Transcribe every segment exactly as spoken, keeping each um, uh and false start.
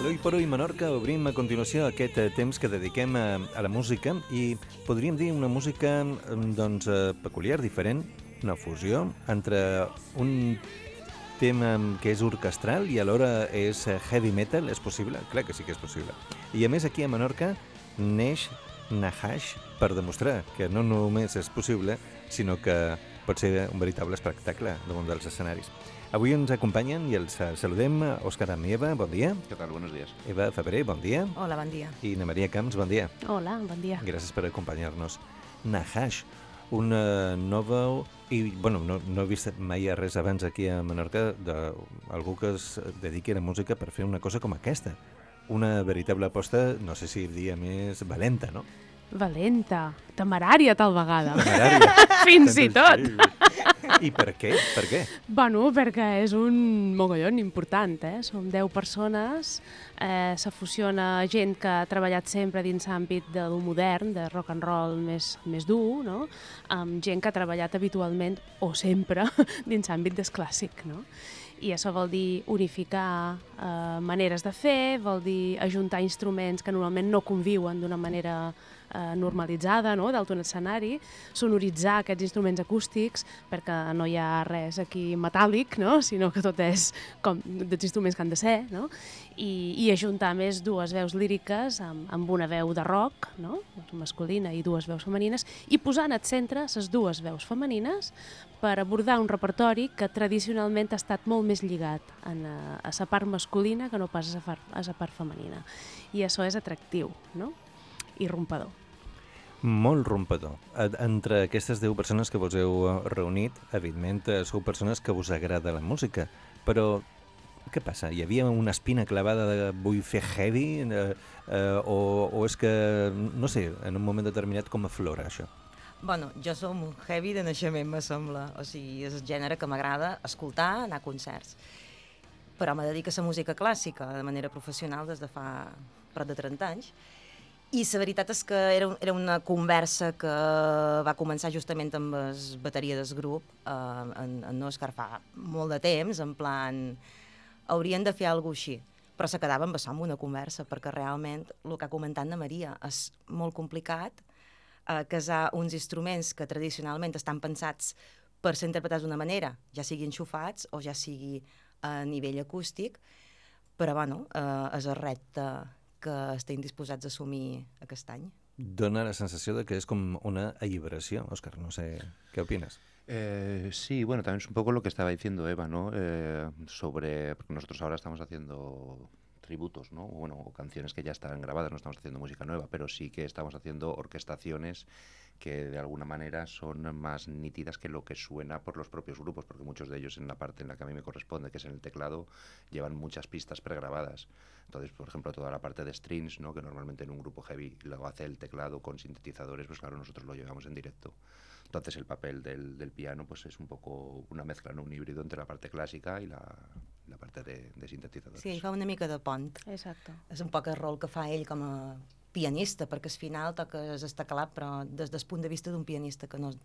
L'Oi per Oi Menorca obrim a continuació aquest eh, temps que dediquem a, a la música i podríem dir una música mm, doncs, eh, peculiar, diferent, una fusió entre un tema que és orquestral i alhora és eh, heavy metal. És possible? Clar que sí que és possible. I a més aquí a Menorca neix Nahash per demostrar que no només és possible, sinó que pot ser un veritable espectacle damunt dels escenaris. Avui ens acompanyen i els saludem Òscar Amieva, bon dia. ¿Qué tal? Buenos días. Eva Febrer, bon dia. Hola, bon dia. I Ana Maria Camps, bon dia. Hola, bon dia. Gràcies per acompanyar-nos. Nahash, una nova... I, bueno, no, no he vist mai res abans aquí a Menorca d'algú que es dediqui a la música per fer una cosa com aquesta. Una veritable aposta, no sé si diria més valenta, no? Valenta, temerària tal vegada. Temerària. Fins i tot. I per què? Per què? Bueno, perquè és un mogollon important, eh? Som deu persones, eh, se fusiona gent que ha treballat sempre dins l'àmbit de lo modern, de rock and roll més, més dur, no? Amb gent que ha treballat habitualment, o sempre, dins l'àmbit del clàssic, no? I això vol dir unificar eh, maneres de fer, vol dir ajuntar instruments que normalment no conviuen d'una manera eh, normalitzada, no?, dalt d'un escenari, sonoritzar aquests instruments acústics, perquè no hi ha res aquí metàl·lic, no?, sinó que tot és com dels instruments que han de ser, no?, i, i ajuntar més dues veus líriques amb, amb una veu de rock, no?, masculina, i dues veus femenines, i posant al centre les dues veus femenines per abordar un repertori que tradicionalment ha estat molt més lligat en, a, a la part masculina que no pas a la part, a la part femenina. I això és atractiu, no?, i rompador. Molt rompador. Entre aquestes deu persones que vos heu reunit, evidentment, sou persones que us agrada la música, però què passa? Hi havia una espina clavada de vull fer heavy? Eh, eh, o, o és que, no sé, en un moment determinat com aflora això? Bueno, jo som un heavy de naixement, me sembla. O sigui, és el gènere que m'agrada escoltar, anar a concerts. Però me dedico a la música clàssica de manera professional des de fa prop de trenta anys. I la veritat és que era, era una conversa que va començar justament amb la bateria del grup, eh, en, en Òscar fa molt de temps, en plan, haurien de fer alguna cosa així. Però se quedava amb això, amb una conversa, perquè realment, el que ha comentat Ana Maria, és molt complicat eh, casar uns instruments que tradicionalment estan pensats per ser interpretats d'una manera, ja sigui enxufats o ja sigui a nivell acústic, però bueno, eh, és el repte que estem disposats a assumir aquest any. Dóna la sensació de que és com una alliberació. Òscar, no sé, ¿qué opinas? Eh, sí, bueno, también es un poco lo que estaba diciendo Eva, ¿no? Eh, sobre, porque nosotros ahora estamos haciendo tributos, ¿no? Bueno, o canciones que ya están grabadas, no estamos haciendo música nueva, pero sí que estamos haciendo orquestaciones que de alguna manera son más nítidas que lo que suena por los propios grupos, porque muchos de ellos en la parte en la que a mí me corresponde, que es en el teclado, llevan muchas pistas pregrabadas. Entonces, por ejemplo, toda la parte de strings, ¿no?, que normalmente en un grupo heavy lo hace el teclado con sintetizadores, pues claro, nosotros lo llevamos en directo. Entonces el papel del, del piano pues es un poco una mezcla, ¿no?, un híbrido entre la parte clàssica i la, la parte de, de sintetizadores. Sí, ell fa una mica de pont. Exacte. És un poc el rol que fa ell com a pianista, perquè al final toques el teclat, però des del punt de vista d'un pianista, que no és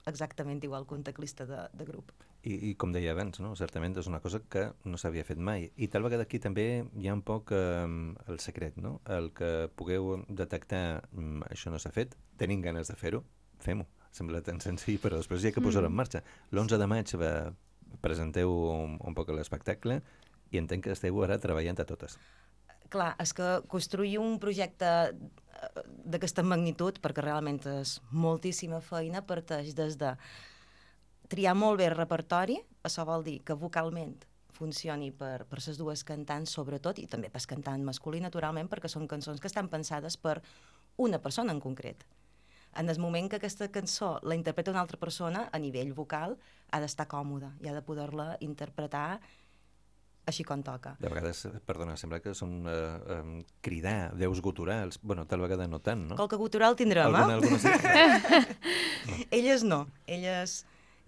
exactament igual que un teclista de, de grup. I, I com deia abans, no? Certament és una cosa que no s'havia fet mai. I tal vegada aquí també hi ha un poc eh, el secret, no? El que pugueu detectar mm, això no s'ha fet, tenim ganes de fer-ho, fem-ho. Sembla tan senzill, però després hi ha que posar-ho en marxa. L'onze de maig va, presenteu un, un poc l'espectacle i entenc que esteu ara treballant a totes. Clar, és que construir un projecte d'aquesta magnitud, perquè realment és moltíssima feina, parteix des de triar molt bé el repertori, això vol dir que vocalment funcioni per, per les dues cantants, sobretot, i també per cantant masculí, naturalment, perquè són cançons que estan pensades per una persona en concret. En el moment que aquesta cançó la interpreta una altra persona, a nivell vocal, ha d'estar còmoda i ha de poder-la interpretar així com toca. De vegades, perdona, sembla que són eh, eh, cridar, veus guturals, bueno, tal vegada no tant, no? Qualque gutural tindrem, alguna, eh? alguna sí? Elles no, elles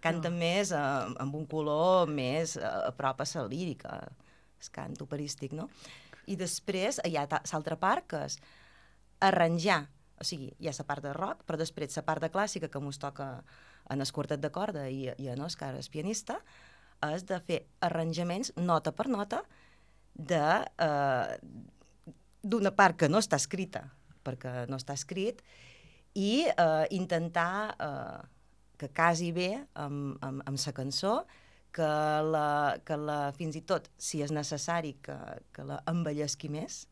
canten no. més eh, amb un color més eh, a prop a la lírica, el cant operístic, no? I després hi ha l'altra part, que és arranjar, o sigui, hi ha la part de rock, però després la part de clàssica que mos toca en el quartet de corda i, i en Òscar, el pianista, és de fer arranjaments nota per nota de, eh, d'una part que no està escrita, perquè no està escrit, i eh, intentar eh, que casi bé amb, amb, amb la cançó, que, la, que la, fins i tot, si és necessari, que, que la embellesqui més.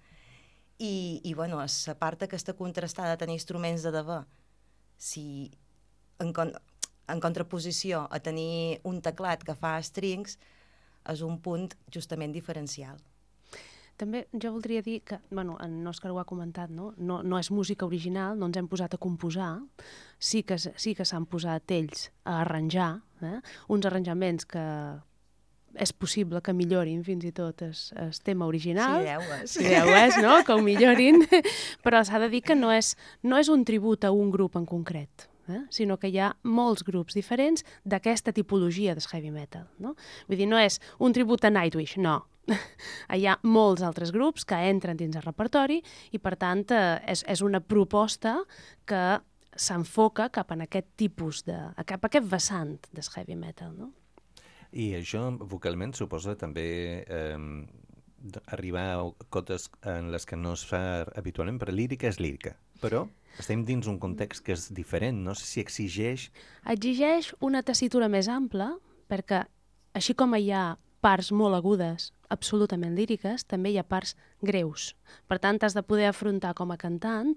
I, i bueno, la part aquesta contrastada de tenir instruments de debò, si en, con, en contraposició a tenir un teclat que fa strings, és un punt justament diferencial. També jo voldria dir que, bueno, en Òscar ho ha comentat, no? No, no és música original, no ens hem posat a composar, sí que, sí que s'han posat ells a arranjar, eh? Uns arranjaments que és possible que millorin fins i tot el, el tema original. Sí, deu és. Sí, deu és, no? Que ho millorin, però s'ha de dir que no és, no és un tribut a un grup en concret, eh? Sinó que hi ha molts grups diferents d'aquesta tipologia del heavy metal, no? Vull dir, no és un tribut a Nightwish, no. Hi ha molts altres grups que entren dins el repertori i, per tant, eh, és, és una proposta que s'enfoca cap en aquest tipus de... cap a aquest vessant del heavy metal, no? I això, vocalment, suposa també eh, arribar a cotes en les que no es fa habitualment, però lírica és lírica. Però estem dins un context que és diferent, no sé si exigeix... Exigeix una tessitura més ampla, perquè així com hi ha parts molt agudes, absolutament líriques, també hi ha parts greus. Per tant, has de poder afrontar com a cantant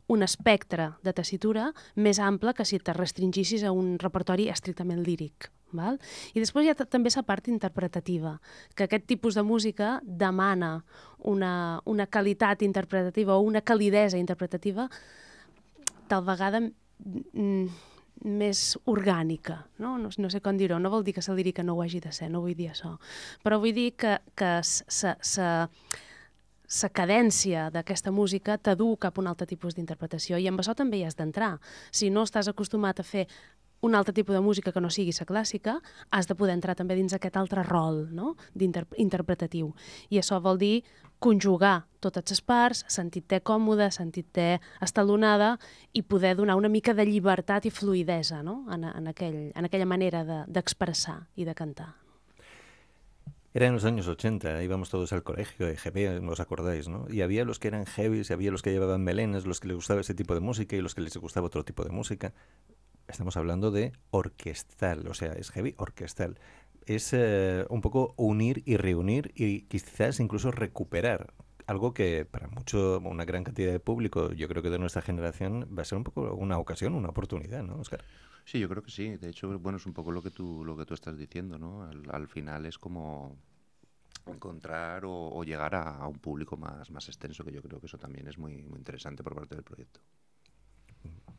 un espectre de tessitura més ample que si te restringissis a un repertori estrictament líric. Val? I després hi ha també la part interpretativa, que aquest tipus de música demana una, una qualitat interpretativa o una calidesa interpretativa tal vegada mm, més orgànica, no? No, no sé com dir-ho, no vol dir que la lírica no ho hagi de ser, no vull dir això, però vull dir que, que la cadència d'aquesta música t'adu cap a un altre tipus d'interpretació i amb això també hi has d'entrar. Si no estàs acostumat a fer un altre tipus de música que no sigui la clàssica, has de poder entrar també dins aquest altre rol, no? Interpretatiu. I això vol dir conjugar totes les parts, sentir-te còmode, sentir-te estalonada i poder donar una mica de llibertat i fluidesa, ¿no? en, en, aquell, en aquella manera d'expressar de, i de cantar. Era en los años ochenta, íbamos todos al colegio de G B, ¿os acordáis, no? Y había los que eran heavies, y había los que llevaban melenas, los que les gustaba ese tipo de música y los que les gustaba otro tipo de música. Estamos hablando de orquestal, o sea, es heavy orquestal. Es eh, un poco unir y reunir y quizás incluso recuperar algo que para mucho, una gran cantidad de público, yo creo que de nuestra generación, va a ser un poco una ocasión, una oportunidad, ¿no, Óscar? Sí, yo creo que sí. De hecho, bueno, es un poco lo que tú, lo que tú estás diciendo, ¿no? Al, al final es como encontrar o, o llegar a, a un público más, más extenso, que yo creo que eso también es muy, muy interesante por parte del proyecto.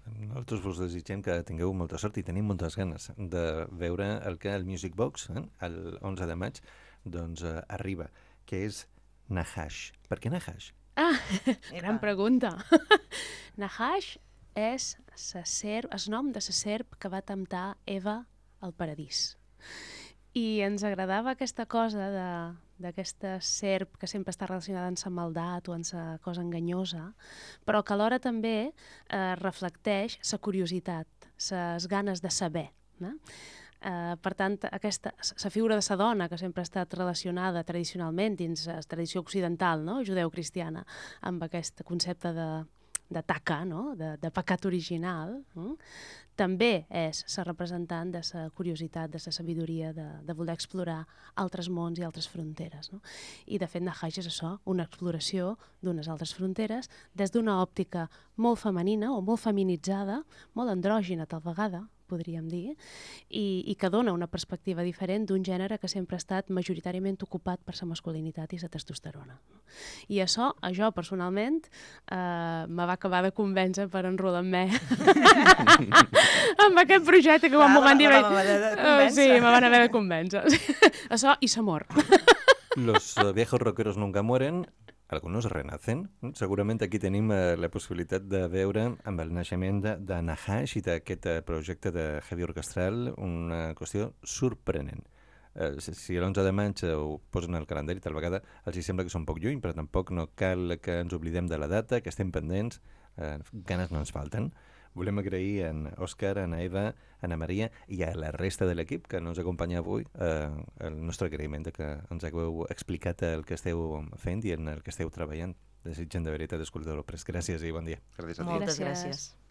Nosaltres vos desitgem que tingueu molta sort i tenim moltes ganes de veure el que el Music Box, eh, el onze de maig, doncs eh, arriba, que és Nahash. Per què Nahash? Ah, gran pregunta. Nahash és la serp, el nom de la serp que va temptar Eva al paradís. I ens agradava aquesta cosa de d'aquesta serp que sempre està relacionada amb la maldat o amb la cosa enganyosa, però que alhora també eh, reflecteix la curiositat, les ganes de saber. No? Eh, per tant, aquesta, la figura de la dona, que sempre ha estat relacionada tradicionalment dins la tradició occidental, no? judeu-cristiana, amb aquest concepte de, de taca, no? de, de pecat original, no? També és la representant de la curiositat, de la sabidoria, de, de voler explorar altres mons i altres fronteres. No? I, de fet, Nahash és això, una exploració d'unes altres fronteres des d'una òptica molt femenina o molt feminitzada, molt andrògina tal vegada, podríem dir, i, i que dona una perspectiva diferent d'un gènere que sempre ha estat majoritàriament ocupat per la masculinitat i la testosterona. I això, a jo personalment, eh, me va acabar de convèncer per enrolar amb mi amb aquest projecte que quan m'ho van dir... Sí, me van haver de convèncer. Això i l'amor. Los uh, viejos rockeros nunca mueren, algunos renacen. Segurament aquí tenim eh, la possibilitat de veure amb el naixement de, de Nahash i d'aquest eh, projecte de heavy orquestral una qüestió sorprenent. Eh, si l'onze de maig ho posen al calendari, tal vegada els hi sembla que són poc lluny, però tampoc no cal que ens oblidem de la data, que estem pendents, eh, ganes no ens falten. Volem agrair a en Òscar, a na Eva, a Ana Maria i a la resta de l'equip que ens acompanya avui eh, el nostre agraïment de que ens hagueu explicat el que esteu fent i en el que esteu treballant. desitgen de veritat escoltar-lo pres. Gràcies i bon dia. Gràcies a ti. Moltes Gràcies. gràcies.